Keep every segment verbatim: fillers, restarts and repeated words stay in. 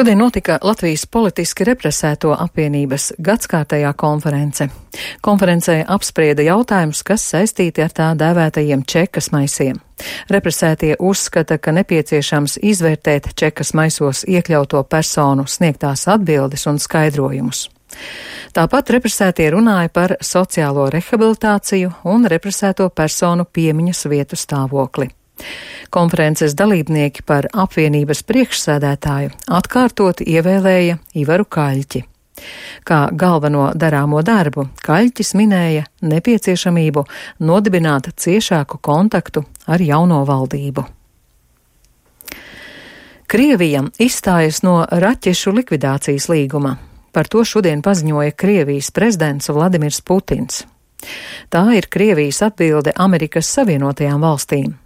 Šodien notika Latvijas politiski represēto apvienības gadskārtējā konference. Konferencē apsprieda jautājumus, kas saistīti ar tā dēvētajiem čekas maisiem. Represētie uzskata, ka nepieciešams izvērtēt čekas maisos iekļauto personu sniegtās atbildes un skaidrojumus. Tāpat represētie runāja par sociālo rehabilitāciju un represēto personu piemiņas vietu stāvokli. Konferences dalībnieki par apvienības priekšsēdētāju atkārtoti ievēlēja Ivaru Kaļķi. Kā galveno darāmo darbu Kaļķis minēja nepieciešamību nodibināt ciešāku kontaktu ar jauno valdību. Krievija izstājas no raķešu likvidācijas līguma. Par to šodien paziņoja Krievijas prezidents Vladimirs Putins. Tā ir Krievijas atbilde Amerikas Savienotajām valstīm.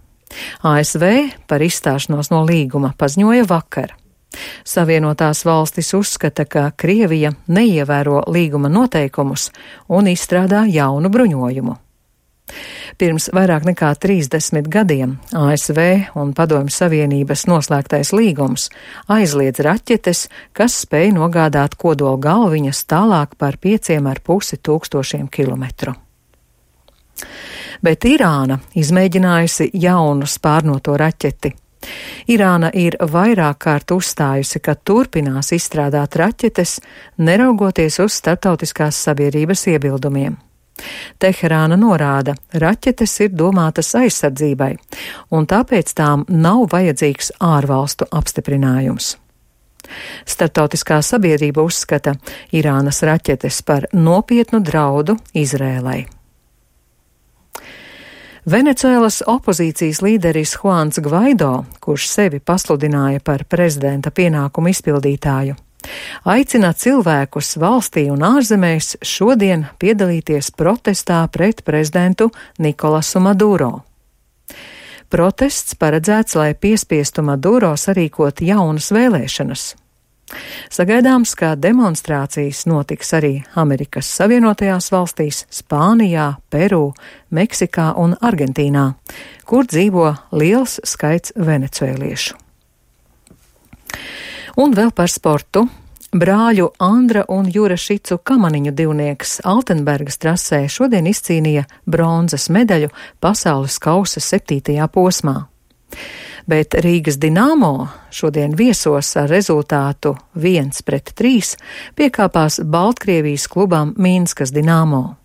A S V par izstāšanos no līguma paziņoja vakar. Savienotās valstis uzskata, ka Krievija neievēro līguma noteikumus un izstrādā jaunu bruņojumu. Pirms vairāk nekā trīsdesmit gadiem A S V un Padomju Savienības noslēgtais līgums aizliedz raķetes, kas spēj nogādāt kodola galviņas tālāk par pieciem ar pusi tūkstošiem kilometru. Bet Irāna izmēģinājusi jaunu spārnoto raķeti. Irāna ir vairāk kārt uzstājusi, ka turpinās izstrādāt raķetes, neraugoties uz starptautiskās sabiedrības iebildumiem. Teherāna norāda, raķetes ir domātas aizsardzībai, un tāpēc tām nav vajadzīgs ārvalstu apstiprinājums. Starptautiskā sabiedrība uzskata Irānas raķetes par nopietnu draudu Izrēlai. Venecuēlas opozīcijas līderis Juans Gvaido, kurš sevi pasludināja par prezidenta pienākumu izpildītāju, aicina cilvēkus valstī un ārzemēs šodien piedalīties protestā pret prezidentu Nikolasu Maduro. Protests paredzēts, lai piespiestu Maduro sarīkot jaunas vēlēšanas. Sagaidāms, ka demonstrācijas notiks arī Amerikas Savienotajās valstīs, Spānijā, Peru, Meksikā un Argentīnā, kur dzīvo liels skaits venecuēliešu. Un vēl par sportu. Brāļu Andra un Jura Šicu kamaniņu divnieks Altenbergas trasē šodien izcīnīja bronzas medaļu pasaules kausa septītajā posmā. Bet Rīgas Dinamo šodien viesos ar rezultātu viens pret trīs piekāpās Baltkrievijas klubam Minskas Dinamo.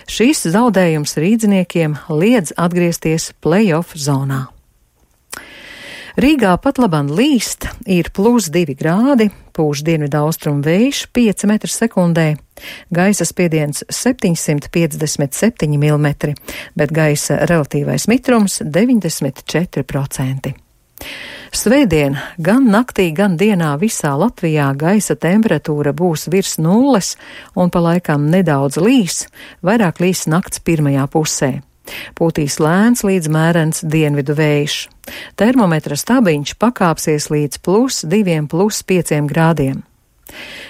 Šis zaudējums rīdziniekiem liedz atgriezties play-off zonā. Rīgā pat laban līst, ir plus divi grādi, pūš dienvidaustrumu vējš pieci metri sekundē, gaisa spiediens septiņsimt piecdesmit septiņi milimetri, bet gaisa relatīvais mitrums deviņdesmit četri procenti. Svētdien gan naktī, gan dienā visā Latvijā gaisa temperatūra būs virs nulles un pa laikam nedaudz līs, vairāk līs nakts pirmajā pusē. Pūtīs lēns līdz mērens dienvidu vējš. Termometra stabiņš pakāpsies līdz plus diviem, plus pieciem grādiem.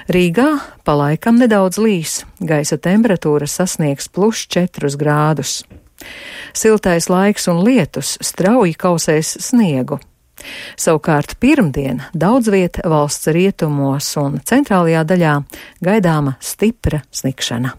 Rīgā pa laikam nedaudz līs, gaisa temperatūra sasniegs plus četrus grādus. Siltais laiks un lietus strauji kausēs sniegu. Savukārt pirmdien daudz viet valsts rietumos un centrālajā daļā gaidāma stipra snikšana.